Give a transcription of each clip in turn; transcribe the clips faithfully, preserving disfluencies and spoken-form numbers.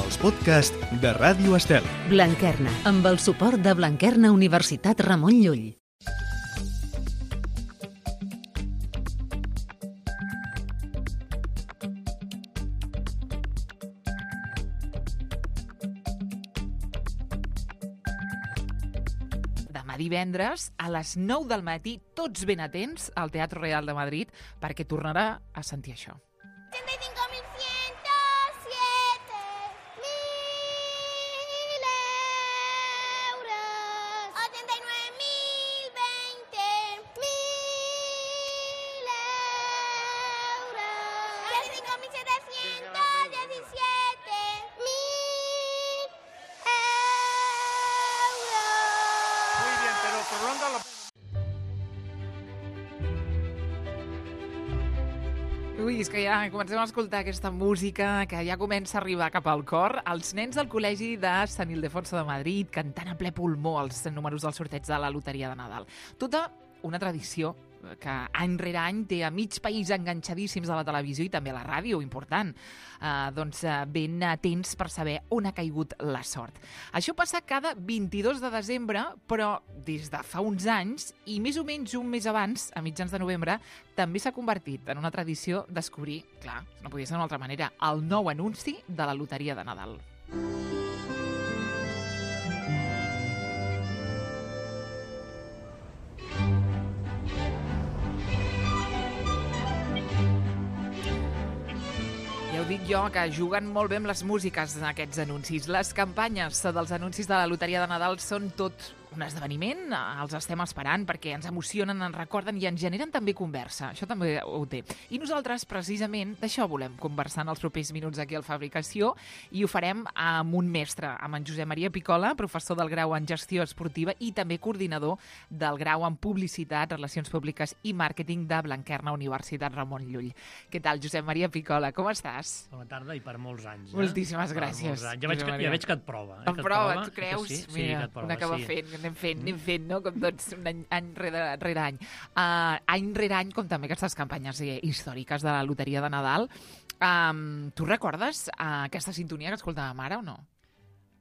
els podcasts de Ràdio Estel. Blanquerna, amb el suport de Blanquerna Universitat Ramon Llull. Demà divendres, a les nou del matí, tots ben atents al Teatre Real de Madrid, perquè tornarà a sentir això. ochenta y cinco mil ciento siete mil euros. ochenta y nueve mil veinte mil euros. ochenta y cinco mil setecientos diecisiete mil euros. Muy bien, pero prolonga la... Ui, és que ja comencem a escoltar aquesta música que ja comença a arribar cap al cor. Els nens del Col·legi de Sant Ildefonso de Madrid cantant a ple pulmó els números del sorteig de la Loteria de Nadal. Tota una tradició que any rere any té a mig país enganxadíssims a la televisió i també a la ràdio, important. Uh, doncs uh, ben atents per saber on ha caigut la sort. Això passa cada vint-i-dos de desembre, però des de fa uns anys, i més o menys un mes abans, a mitjans de novembre, també s'ha convertit en una tradició descobrir, clar, no podia ser d'una altra manera, el nou anunci de la Loteria de Nadal. Ja ho dic jo, que juguen molt bé amb les músiques en aquests anuncis. Les campanyes dels anuncis de la Loteria de Nadal són tot un esdeveniment, els estem esperant perquè ens emocionen, ens recorden i ens generen també conversa. Això també ho té. I nosaltres, precisament, d'això volem conversar en els propers minuts aquí al Fabricació, i ho farem amb un mestre, amb en Josep Maria Picola, professor del grau en Gestió Esportiva i també coordinador del grau en Publicitat, Relacions Públiques i Màrqueting de Blanquerna Universitat Ramon Llull. Què tal, Josep Maria Picola? Com estàs? Bona tarda i per molts anys. Eh? Moltíssimes gràcies. Ja veig, que, ja veig que et prova. Eh? Em que et prova, prova, tu creus? Sí, sí, Mira, que et prova, una que va sí. fent, anem fent, anem fent, no? Com tots, un any, any rere, rere any. Uh, any rere any, com també aquestes campanyes eh, històriques de la Loteria de Nadal. Um, tu recordes uh, aquesta sintonia que escoltàvem ara o no?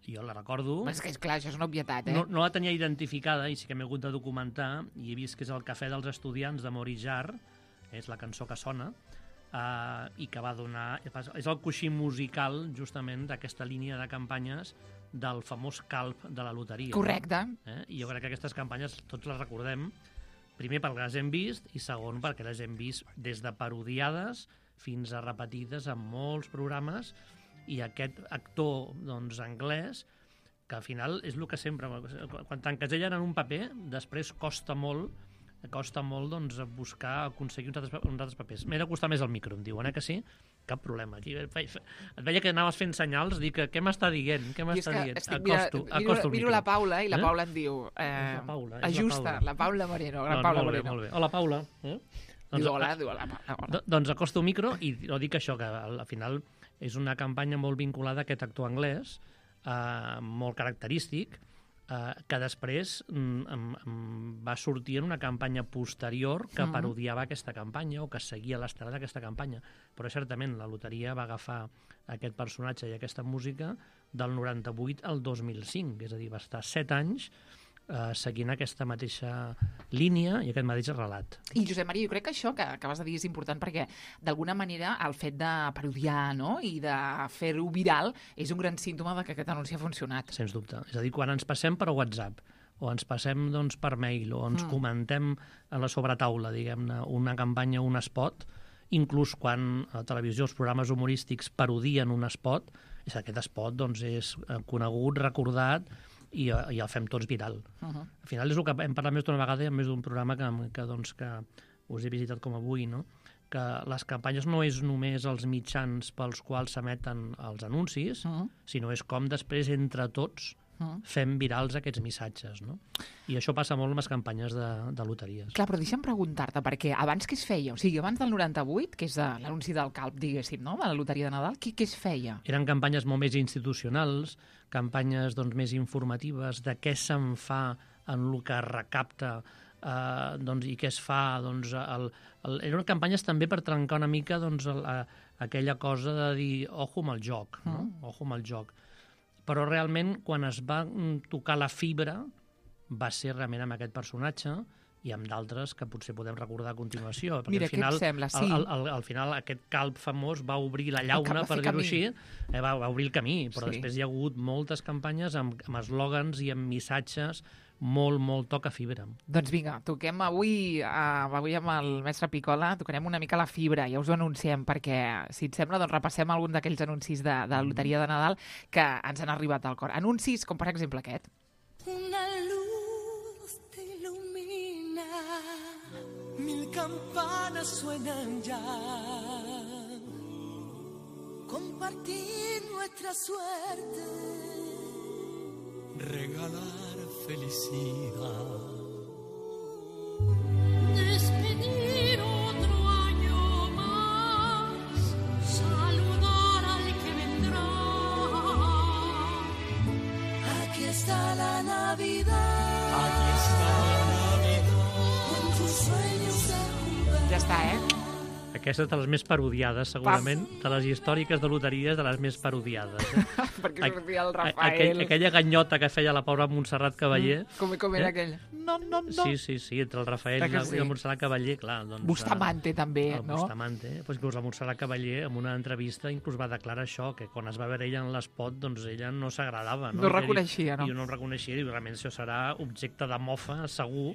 Jo la recordo. És que, clar, això és una obvietat, eh? No, no la tenia identificada i sí que m'he hagut de documentar i he vist que és el Cafè dels Estudiants de Maurice Jarre, és la cançó que sona, uh, i que va donar... És el coixí musical, justament, d'aquesta línia de campanyes del famós calp de la loteria. Correcte. Eh? I jo crec que aquestes campanyes tots les recordem, primer perquè les hem vist i segon perquè les hem vist des de parodiades fins a repetides en molts programes, i aquest actor doncs, anglès, que al final és el que sempre, quan t'encasellen en un paper, després costa molt costa molt doncs, buscar, aconseguir uns altres, uns altres papers. M'he de costar més el micro, em diuen, eh, que sí? Cap problema. Aquí et veia que anaves fent senyals, dic, què m'està dient? Què m'està dient? Estic, acosto, mira, acosto miro, miro la Paula i la eh? Paula em diu eh, la Paula, és ajusta, la Paula. la Paula Moreno. La No, Paula molt bé, Moreno. molt bé. Hola, Paula. Eh? Diu hola, diu hola, Paula. Hola. Doncs acosto el micro i no dic això, que al final és una campanya molt vinculada a aquest actor anglès, eh, molt característic, eh, que després mm, mm, va sortir en una campanya posterior que Mm. parodiava aquesta campanya o que seguia l'estrada d'aquesta campanya. Però certament la loteria va agafar aquest personatge i aquesta música del noranta-vuit al dos mil cinc, és a dir, va estar set anys eh, seguint aquesta mateixa línia i aquest mateix relat. I Josep Maria, jo crec que això que acabes de dir és important perquè d'alguna manera el fet de parodiar, no?, i de fer-ho viral és un gran símptoma de que aquest anunci ha funcionat. Sens dubte. És a dir, quan ens passem per WhatsApp o ens passem doncs, per mail o ens Mm. mm. comentem a la sobretaula, diguem-ne, una campanya o un spot, inclús quan a la televisió els programes humorístics parodien un spot, és aquest spot doncs, és conegut, recordat, i, i el fem tots viral. Uh -huh. Al final és el que hem parlat més d'una vegada i a més d'un programa que, que, doncs, que us he visitat com avui, no? Que les campanyes no és només els mitjans pels quals s'emeten els anuncis, Uh -huh. sinó és com després entre tots fem virals aquests missatges, no? I això passa molt amb les campanyes de, de loteries. Clar, però deixa'm preguntar-te, perquè abans què es feia? O sigui, abans del noranta-vuit, que és l'anunci del calp, diguéssim, no?, de la Loteria de Nadal, què, què es feia? Eren campanyes molt més institucionals, campanyes doncs, més informatives de què se'n fa en el que recapta Uh, doncs, i què es fa? Doncs, el, el, eren campanyes també per trencar una mica doncs, el, a, aquella cosa de dir ojo amb el joc, no? Mm. Ojo amb el joc. Però realment, quan es va tocar la fibra, va ser realment amb aquest personatge i amb d'altres que potser podem recordar a continuació. Mira, al final, què et sembla? Sí. Al, al, al final, aquest calb famós va obrir la llauna, per dir-ho així, eh, va, va obrir el camí, però sí. Després hi ha hagut moltes campanyes amb, amb eslògans i amb missatges molt, molt toca fibra. Doncs vinga, toquem avui, uh, avui amb el mestre Picola, tocarem una mica la fibra, ja us ho anunciem, perquè, si et sembla, doncs repassem algun d'aquells anuncis de, de la loteria de Nadal que ens han arribat al cor. Anuncis com, per exemple, aquest. Una luz te ilumina, mil campanas suenan ya, compartir nuestra suerte, regalar felicidad. Despedir otro año más, saludar al que vendrá. Aquí está la Navidad. Aquí está la Navidad. Con tus sueños se jugar. Ja està, eh? Aquesta és de les més parodiades, segurament, Pam. de les històriques de loteries, de les més parodiades. Eh? Perquè sortia el Rafael. Aquell, aquella ganyota que feia la pobra Montserrat Cavaller. Mm, com, com era eh? aquell? No, no, no. Sí, sí, sí, entre el Rafael i la, sí. la Montserrat Cavaller, clar. Doncs, Bustamante, també, el no? Bustamante. Pues, inclús la Montserrat Cavaller, en una entrevista, inclús va declarar això, que quan es va veure ella en l'espot, doncs ella no s'agradava. No, no reconeixia, no? I no reconeixia, i realment això serà objecte de mofa, segur,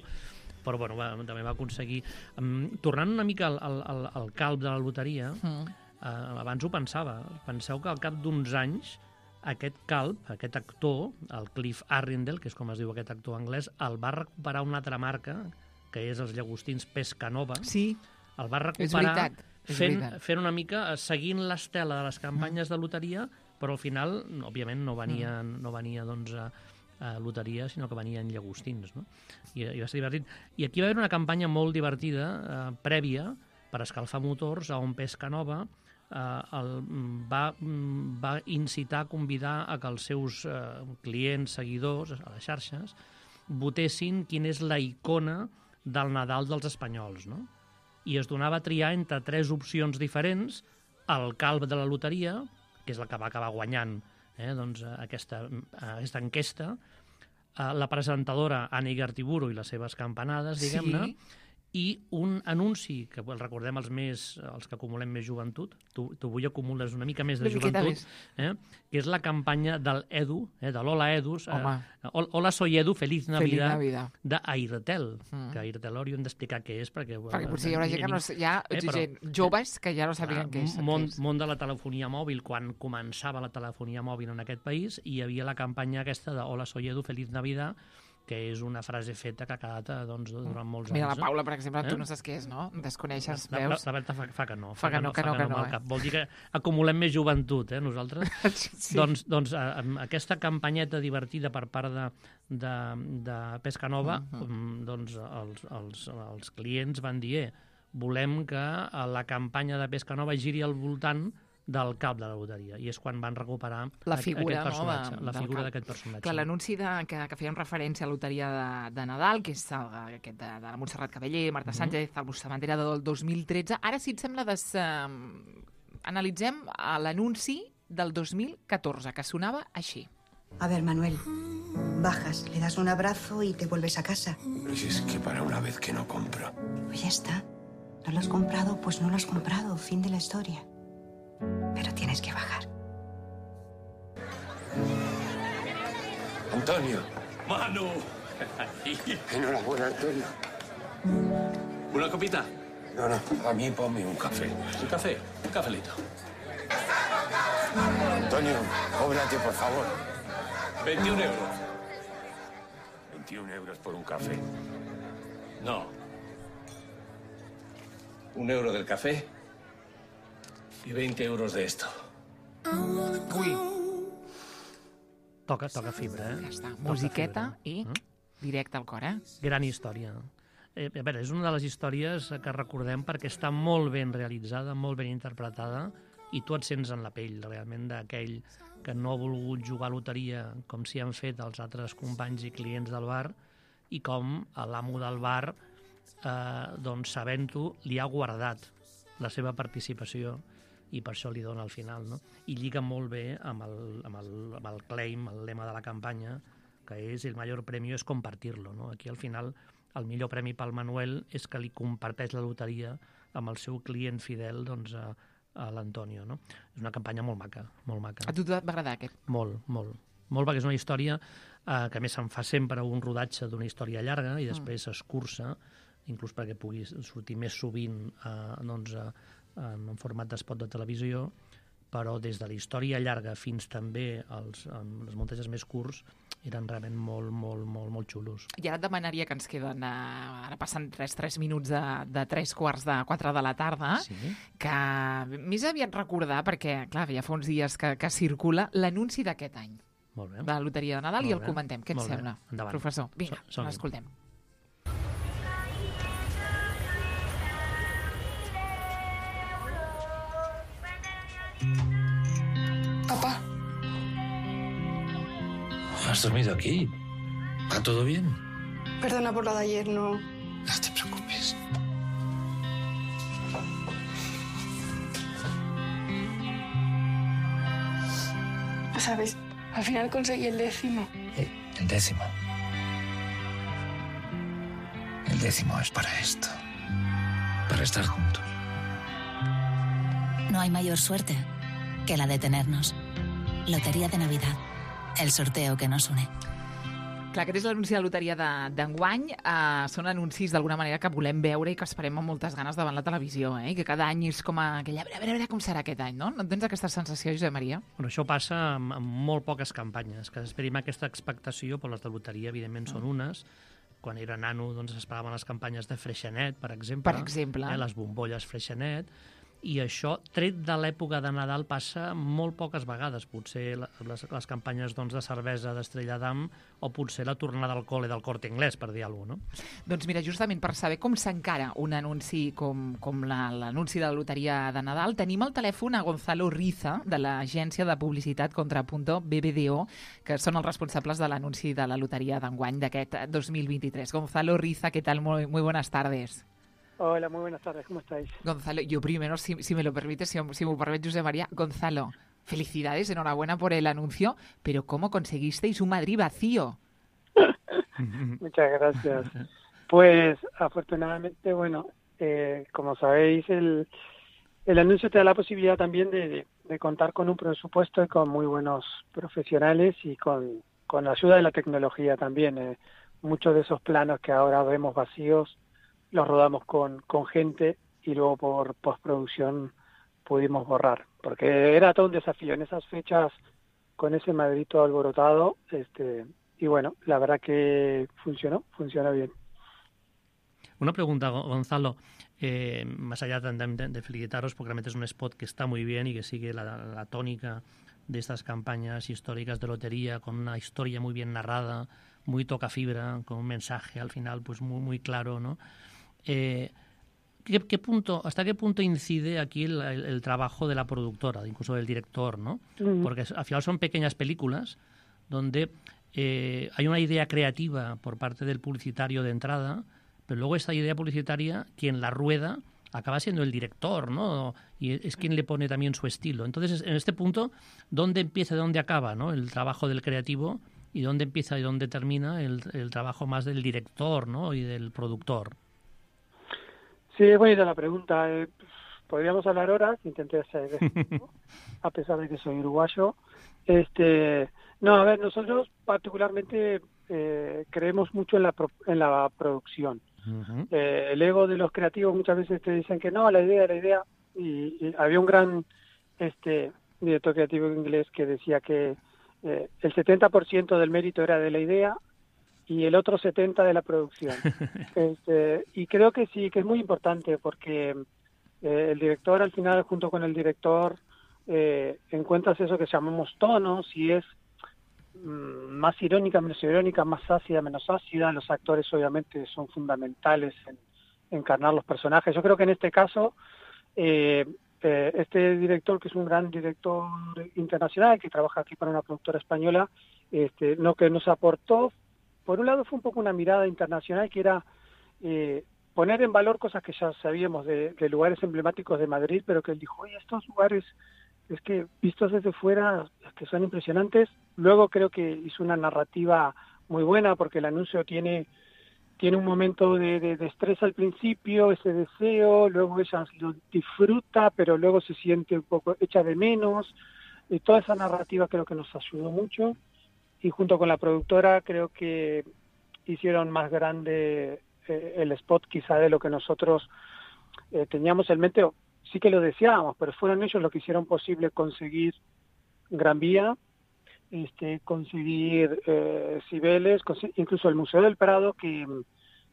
però bueno, va, també va aconseguir. Um, tornant una mica al, al, al calb de la loteria, mm. uh, abans ho pensava, penseu que al cap d'uns anys aquest calb, aquest actor, el Cliff Arrindel, que és com es diu aquest actor anglès, el va recuperar una altra marca, que és els llagostins Pescanova. Sí, el va recuperar és veritat. És fent, veritat. fent una mica, seguint l'estela de les campanyes mm. de loteria, però al final, òbviament, no venia, mm. no venia doncs, a, a loteria, sinó que venia en llagostins, no? I, i va ser divertit. I aquí va haver una campanya molt divertida, eh, prèvia, per escalfar motors, on Pescanova eh, el, va, va incitar, convidar a que els seus eh, clients, seguidors, a les xarxes, votessin quina és la icona del Nadal dels espanyols, no? I es donava a triar entre tres opcions diferents, el calb de la loteria, que és el que va acabar guanyant eh, doncs, aquesta, aquesta enquesta, la presentadora Anna Igartiburu i les seves campanades, diguem-ne, sí. I un anunci, que el recordem els més, els que acumulem més joventut, tu, tu avui acumules una mica més de joventut, eh, que és la campanya del Edu, eh, de l'Hola Edus, eh, Hola soy Edu, feliz Navidad, Navidad. d'Airtel, mm. que Airtel hauríem d'explicar què és, perquè... Perquè potser hi haurà gent que no... Hi ha eh, gent joves que ja no sàpiguen què és. Món, món de la telefonia mòbil, quan començava la telefonia mòbil en aquest país, hi havia la campanya aquesta de Hola soy Edu, feliz Navidad, que és una frase feta que ha quedat doncs, durant molts Mira, anys. Mira, la Paula, per exemple, eh? tu no saps què és, no? Desconeixes, la, veus? La, la Berta fa, fa que no. Fa que no, que no, que no. Eh? Vol dir que acumulem més joventut, eh, nosaltres. Sí. Doncs, doncs amb aquesta campanyeta divertida per part de, de, de Pescanova, uh -huh. doncs els, els, els clients van dir eh, volem que la campanya de Pescanova giri al voltant del cap de la loteria, i és quan van recuperar la figura, aquest personatge, no, de, la figura d'aquest personatge. Clar, l'anunci que, que fèiem referència a la loteria de, de Nadal, que és el, aquest de, de la Montserrat Cavaller, Marta mm-hmm. Sánchez, el Bustamante del dos mil tretze. Ara, si et sembla, des, eh, analitzem l'anunci del dos mil catorze, que sonava així. A ver, Manuel, bajas, le das un abrazo y te vuelves a casa. Pero si es que para una vez que no compro. Pues ya está. ¿No lo has comprado? Pues no lo has comprado. Fin de la historia. Pero tienes que bajar. Antonio. Manu. Enhorabuena, Antonio. ¿Una copita? No, no, a mí ponme un café. ¿Un café? Un cafelito. Antonio, cóbrate, por favor. veintiún euros. veintiún euros por un café. No. Un euro del café y veinte euros de esto. Ui. Toca, toca fibra, eh? Ja està. Musiqueta i directe al cor, eh? Gran història. Eh, a veure, és una de les històries que recordem perquè està molt ben realitzada, molt ben interpretada, i tu et sents en la pell, realment, d'aquell que no ha volgut jugar a loteria com s'hi han fet els altres companys i clients del bar, i com l'amo del bar, eh, doncs, sabent-ho, li ha guardat la seva participació i per això li dona al final, no? I lliga molt bé amb el, amb el, amb el claim, el lema de la campanya, que és el major premi és compartir-lo, no? Aquí al final el millor premi pel Manuel és que li comparteix la loteria amb el seu client fidel, doncs, a, a l'Antonio, no? És una campanya molt maca, molt maca. A tu et va agradar aquest? Molt, molt. Molt, perquè és una història eh, que a més se'n fa sempre un rodatge d'una història llarga i després s'escurça, inclús perquè pugui sortir més sovint eh, doncs, eh, en format d'espot de televisió, però des de la història llarga fins també als, als muntatges més curts eren realment molt, molt, molt, molt xulos. I ara et demanaria que ens queden, eh, ara passen tres, tres minuts de, de tres quarts de quatre de la tarda, Sí. que més aviat recordar, perquè, clar, ja fa uns dies que, que circula l'anunci d'aquest any Molt bé. de la Loteria de Nadal Molt i el bé. comentem. Què et Molt bé. sembla, Endavant. professor? Vinga, Som- som-hi. l'escoltem. Papá, ¿Has dormido aquí? ¿Va todo bien? perdona por lo de ayer, no. No te preocupes. ¿Sabes? Al final conseguí el décimo. Eh, el décimo. El décimo es para esto. Para estar juntos. No hay mayor suerte que la de tenernos. Lotería de Navidad. El sorteo que nos une. Clar, aquest és l'anunci de la loteria de- d'enguany. Uh, són anuncis d'alguna manera que volem veure i que esperem amb moltes ganes davant la televisió, eh? I que cada any és com aquella... A veure, a veure, a veure com serà aquest any, no? No tens aquesta sensació, Josep Maria? Però això passa amb, amb molt poques campanyes, que esperim aquesta expectació, però les de loteria, evidentment, són unes. Quan era nano, doncs, esperaven les campanyes de Freixenet, per exemple. Per exemple. Eh, les bombolles Freixenet. I això, tret de l'època de Nadal, passa molt poques vegades. Potser les, les campanyes doncs, de cervesa d'Estrella d'Am o potser la tornada al col·le del Corte Inglés, per dir alguna cosa, no? Doncs mira, justament per saber com s'encara un anunci com, com la- l'anunci de la loteria de Nadal, tenim al telèfon a Gonzalo Riza, de l'agència de publicitat Contrapunto B B D O, que són els responsables de l'anunci de la loteria d'enguany d'aquest dos mil vint-i-tres. Gonzalo Riza, ¿qué tal? Muy, muy buenas tardes. Hola, muy buenas tardes, ¿cómo estáis? Gonzalo, yo primero, si, si me lo permites, si, si me permite, José María, Gonzalo, felicidades, enhorabuena por el anuncio, pero ¿cómo conseguisteis un Madrid vacío? Muchas gracias. Pues afortunadamente, bueno, eh, como sabéis, el, el anuncio te da la posibilidad también de, de, de contar con un presupuesto y con muy buenos profesionales y con, con la ayuda de la tecnología también. Eh, muchos de esos planos que ahora vemos vacíos los rodamos con, con gente y luego por postproducción pudimos borrar, porque era todo un desafío en esas fechas con ese Madrid todo alborotado, este, y bueno, la verdad que funcionó, funcionó bien. Una pregunta, Go- Gonzalo. Eh, más allá de, de- de felicitaros, porque realmente es un spot que está muy bien y que sigue la, la tónica de estas campañas históricas de lotería, con una historia muy bien narrada, muy toca fibra, con un mensaje al final pues muy, muy claro, ¿no? Eh, ¿qué, qué punto, ¿Hasta qué punto incide aquí el, el- el trabajo de la productora, incluso del director, ¿no? Ujú. Porque al final son pequeñas películas donde eh, hay una idea creativa por parte del publicitario de entrada, pero luego esta idea publicitaria, quien la rueda, acaba siendo el director, ¿no? Y es quien le pone también su estilo. Entonces, en este punto, ¿dónde empieza y dónde acaba, ¿no? El trabajo del creativo y dónde empieza y dónde termina el, el trabajo más del director, ¿no? Y del productor. Sí, es buena la pregunta. Eh, podríamos hablar horas, intenté hacer esto, a pesar de que soy uruguayo. Este, no, a ver, nosotros particularmente eh, creemos mucho en la, pro- en la producción. Uh-huh. Eh, el ego de los creativos muchas veces te dicen que no, la idea, la idea. Y, y había un gran este director creativo inglés que decía que eh, el setenta por ciento del mérito era de la idea y el otro setenta por ciento de la producción. Este, y creo que sí, que es muy importante porque eh, el director al final, junto con el director, eh, encuentras eso que llamamos tonos y es mm, más irónica, menos irónica, más ácida, menos ácida. Los actores obviamente son fundamentales en encarnar los personajes. Yo creo que en este caso, eh, eh, este director, que es un gran director internacional, que trabaja aquí para una productora española, este, lo que nos aportó por un lado fue un poco una mirada internacional que era eh, poner en valor cosas que ya sabíamos de, de lugares emblemáticos de Madrid, pero que él dijo, oye, estos lugares, es que vistos desde fuera, es que son impresionantes. Luego creo que hizo una narrativa muy buena, porque el anuncio tiene, tiene un momento de, de, de estrés al principio, ese deseo, luego ella lo disfruta, pero luego se siente un poco hecha de menos, y toda esa narrativa creo que nos ayudó mucho, y junto con la productora creo que hicieron más grande eh, el spot quizá de lo que nosotros eh, teníamos en mente. Sí que lo deseábamos, pero fueron ellos los que hicieron posible conseguir Gran Vía, este, conseguir eh, Cibeles, cons- incluso el Museo del Prado, que,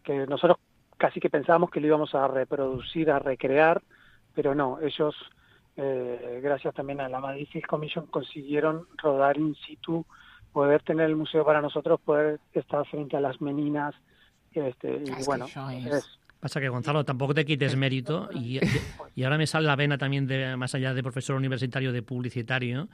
que nosotros casi que pensábamos que lo íbamos a reproducir, a recrear, pero no, ellos, eh, gracias también a la Madrid Film Commission, consiguieron rodar in situ, poder tener el museo para nosotros, poder estar frente a las meninas, este, y Es bueno, que es, Pasa que, Gonzalo, tampoco te quites mérito y, y ahora me sale la vena también, de más allá de profesor universitario, de publicitario,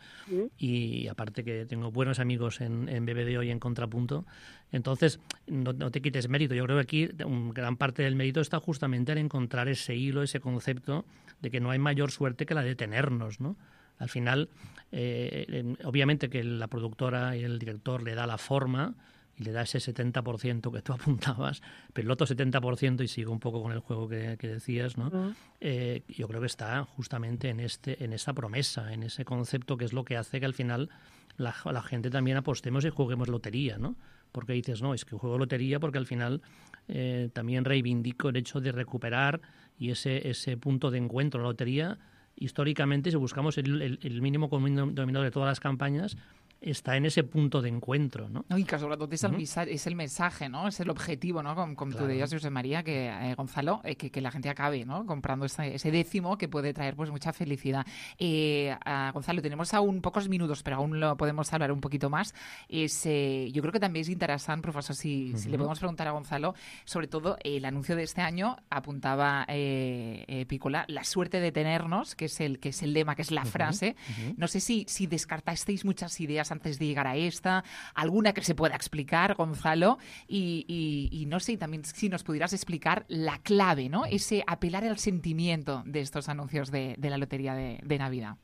y aparte que tengo buenos amigos en, en B B D O y en Contrapunto. Entonces, no, no te quites mérito. Yo creo que aquí un, gran parte del mérito está justamente en encontrar ese hilo, ese concepto de que no hay mayor suerte que la de tenernos, ¿no? Al final, eh, obviamente que la productora y el director le da la forma y le da ese setenta por ciento que tú apuntabas, pero el otro setenta por ciento, y sigo un poco con el juego que, que decías, ¿no? Uh-huh. Eh, yo creo que está justamente en este en esa promesa, en ese concepto que es lo que hace que al final la, la gente también apostemos y juguemos lotería, ¿no? Porque dices, no, es que juego lotería porque al final eh, también reivindico el hecho de recuperar y ese, ese punto de encuentro. La lotería, históricamente, si buscamos el, el, el mínimo común denominador de todas las campañas, està en ese punto d'encuentro, no? No, i que sobretot és el, uh-huh. és el missatge, ¿no? És l'objectiu, ¿no? Com, com claro. Tú decías, José María, que eh, Gonzalo, eh, que, que la gente acabe, ¿no? Comprando ese, ese décimo que puede traer pues mucha felicidad. Eh, uh, Gonzalo, tenemos aún pocos minutos, pero aún lo podemos hablar un poquito más. Es, eh, yo creo que también es interesante, profesor, si, uh-huh. si le podemos preguntar a Gonzalo, sobre todo eh, el anuncio de este año, apuntaba eh, eh, Pícola, la suerte de tenernos, que es el, que es el lema, que es la uh-huh. frase. Uh-huh. No sé si, si descartasteis muchas ideas antes de llegar a esta, alguna que se pueda explicar, Gonzalo, y, y, y no sé, también si nos pudieras explicar la clave, ¿no? Ese apelar al sentimiento de estos anuncios de, de la Lotería de, de Navidad.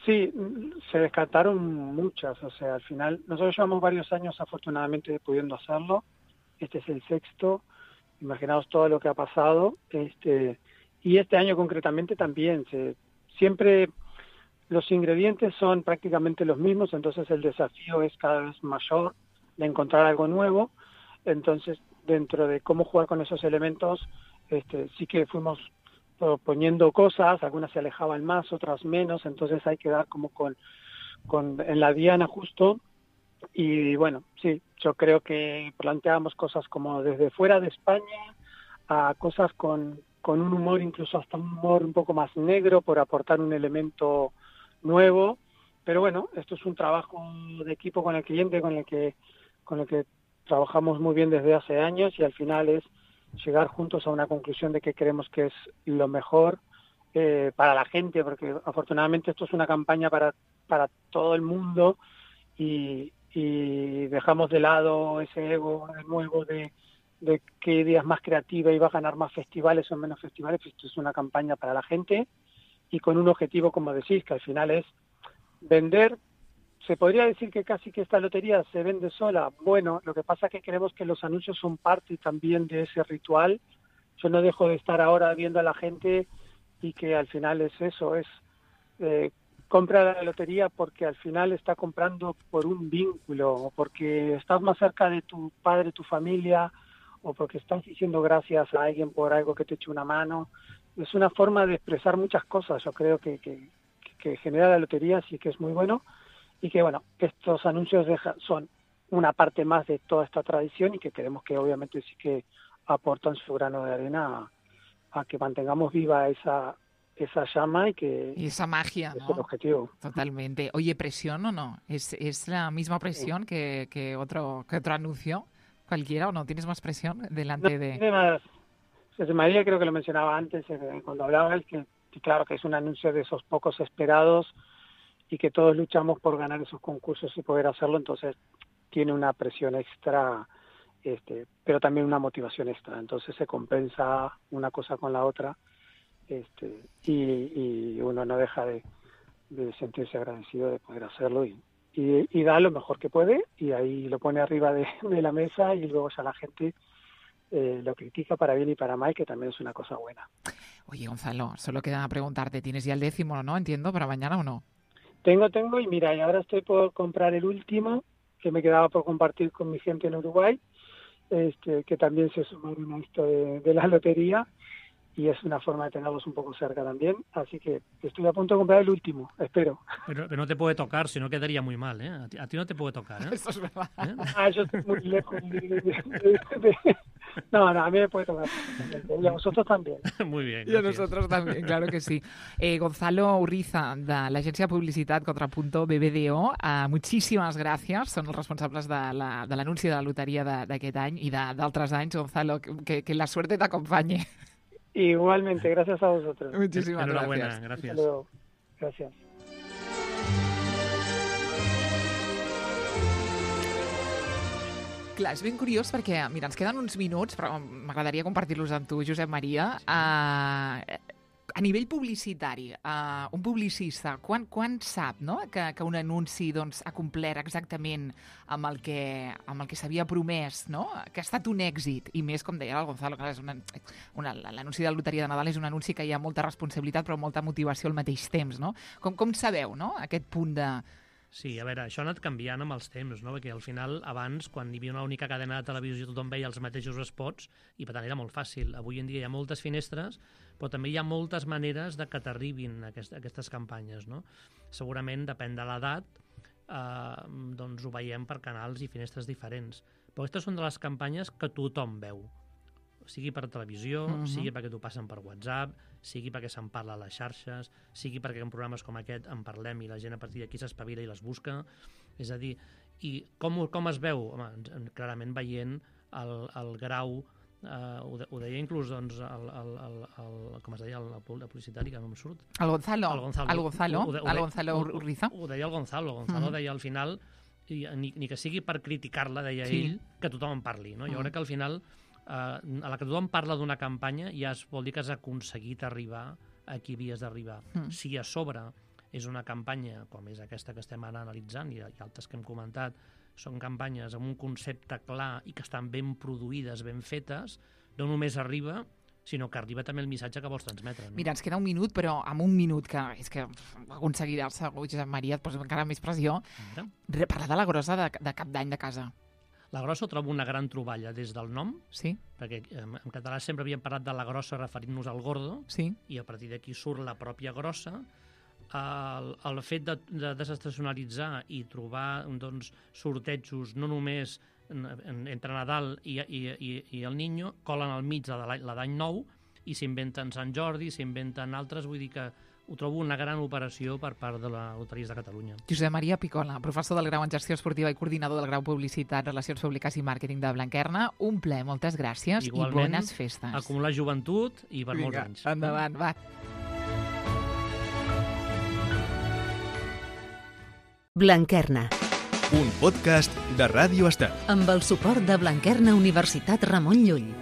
Sí, se descartaron muchas, o sea, al final, nosotros llevamos varios años afortunadamente pudiendo hacerlo, este es el sexto, imaginaos todo lo que ha pasado, este, y este año concretamente también, se, siempre los ingredientes son prácticamente los mismos, entonces el desafío es cada vez mayor de encontrar algo nuevo. Entonces, dentro de cómo jugar con esos elementos, este, sí que fuimos poniendo cosas, algunas se alejaban más, otras menos, entonces hay que dar como con, con en la diana justo. Y bueno, sí, yo creo que planteábamos cosas como desde fuera de España a cosas con, con un humor, incluso hasta un humor un poco más negro, por aportar un elemento nuevo, pero bueno, esto es un trabajo de equipo con el cliente, con el que con el que trabajamos muy bien desde hace años, y al final es llegar juntos a una conclusión de que creemos que es lo mejor eh, para la gente, porque afortunadamente esto es una campaña para para todo el mundo, y, y dejamos de lado ese ego nuevo de, de qué idea es más creativa y va a ganar más festivales o menos festivales. Esto es una campaña para la gente, y con un objetivo, como decís, que al final es vender. Se podría decir que casi que esta lotería se vende sola. Bueno, lo que pasa es que creemos que los anuncios son parte también de ese ritual. Yo no dejo de estar ahora viendo a la gente, y que al final es eso, es eh, compra la lotería porque al final está comprando por un vínculo, o porque estás más cerca de tu padre, tu familia, o porque estás diciendo gracias a alguien por algo que te eche una mano. Es una forma de expresar muchas cosas, yo creo que, que, que genera la lotería, sí que es muy bueno, y que bueno, estos anuncios deja, son una parte más de toda esta tradición, y que creemos que obviamente sí que aportan su grano de arena a, a que mantengamos viva esa esa llama y que y esa magia, es ¿no? el objetivo. Totalmente. Oye, ¿presión o no? ¿Es, es la misma presión sí. que, que, otro, que otro anuncio cualquiera, o no? ¿Tienes más presión delante no, de...? Tiene más. José María creo que lo mencionaba antes, eh, cuando hablaba él, que, que claro que es un anuncio de esos pocos esperados, y que todos luchamos por ganar esos concursos y poder hacerlo. Entonces tiene una presión extra, este, pero también una motivación extra. Entonces se compensa una cosa con la otra, este, y, y uno no deja de, de sentirse agradecido de poder hacerlo y, y, y da lo mejor que puede, y ahí lo pone arriba de, de la mesa, y luego ya la gente eh, lo critica para bien y para mal, que también es una cosa buena. Oye, Gonzalo, solo queda preguntarte, ¿tienes ya el décimo, no? Entiendo, ¿para mañana o no? Tengo, tengo, y mira, y ahora estoy por comprar el último, que me quedaba por compartir con mi gente en Uruguay, este, que también se sumaron a esto de, de la lotería, y es una forma de tenerlos un poco cerca también, así que estoy a punto de comprar el último, espero. Pero, pero no te puede tocar, si no quedaría muy mal, ¿eh? A ti, a ti no te puede tocar, ¿eh? Eso es verdad. ¿Eh? Ah, yo estoy muy lejos de... de, de, de... No, no, a mí me puede tocar. Y a vosotros también. Muy bien, y a nosotros también, claro que sí. Eh, Gonzalo Urriza, de l'agència de publicitat Contrapunto B B D O, eh, muchísimas gracias. Són els responsables de la, de l'anunci de la loteria d'aquest any i d'altres anys. Gonzalo, que, que la suerte te acompañe. Igualmente, gracias a vosotros. Muchísimas Enhorabuena, gracias. gracias. Hasta luego. Gracias. Clar, és ben curiós perquè, mira, ens queden uns minuts, però m'agradaria compartir-los amb tu, Josep Maria. Uh, a nivell publicitari, uh, un publicista, quan, quan sap, no?, que, que un anunci doncs, ha complert exactament amb el que, amb el que s'havia promès, no?, que ha estat un èxit, i més, com deia el Gonzalo, clar, és una, una, l'anunci de la loteria de Nadal és un anunci que hi ha molta responsabilitat però molta motivació al mateix temps, no? Com, com sabeu, no?, aquest punt de... Sí, a veure, això ha anat canviant amb els temps, no? Perquè al final, abans, quan hi havia una única cadena de televisió, tothom veia els mateixos spots i per tant era molt fàcil. Avui en dia hi ha moltes finestres, però també hi ha moltes maneres de que t'arribin aquest, aquestes campanyes, no? Segurament, depèn de l'edat, eh, doncs ho veiem per canals i finestres diferents. Però aquestes són de les campanyes que tothom veu, sigui per televisió, uh-huh. sigui perquè t'ho passen per WhatsApp, sigui perquè se'n parla a les xarxes, sigui perquè en programes com aquest en parlem i la gent a partir d'aquí s'espavila i les busca. És a dir, i com, com es veu? Home, clarament veient el, el grau, eh, ho, de, ho deia inclús doncs, el, el, el, el, com es deia, el, el publicitari, que no em surt. El Gonzalo. El Gonzalo. El Gonzalo, ho, ho, el Gonzalo Urriza. Ho, ho deia el Gonzalo. El Gonzalo uh-huh. deia al final, i, ni, ni que sigui per criticar-la, deia sí. ell, que tothom en parli. No? Jo uh-huh. crec que al final... Uh, a la que tothom parla d'una campanya ja es vol dir que has aconseguit arribar a qui havies d'arribar. Mm. Si a sobre és una campanya com és aquesta que estem ara analitzant i, i altres que hem comentat, són campanyes amb un concepte clar i que estan ben produïdes, ben fetes, no només arriba, sinó que arriba també el missatge que vols transmetre. No? Mira, ens queda un minut, però amb un minut, que és que aconseguirà segur, Josep Maria, et posa encara més pressió, mm. parlar de la grossa de, de cap d'any de casa. La grossa ho trobo una gran troballa des del nom, sí. perquè en català sempre havíem parlat de la grossa referint-nos al gordo, sí. i a partir d'aquí surt la pròpia grossa. El, el fet de, de desestacionalitzar i trobar doncs, sortejos no només en, en, entre Nadal i, i, i, i el Niño, colen al mig de l'any nou i s'inventen Sant Jordi, s'inventen altres, vull dir que ho trobo una gran operació per part de la Loteries de Catalunya. Josep Maria Picola, professor del grau en Gestió Esportiva i coordinador del grau Publicitat, Relacions Públiques i Màrqueting de Blanquerna. Un ple, moltes gràcies. Igualment, i bones festes. Acumular joventut i per Vinga, molts anys. Endavant, va. Blanquerna. Un podcast de Ràdio Estel. Amb el suport de Blanquerna Universitat Ramon Llull.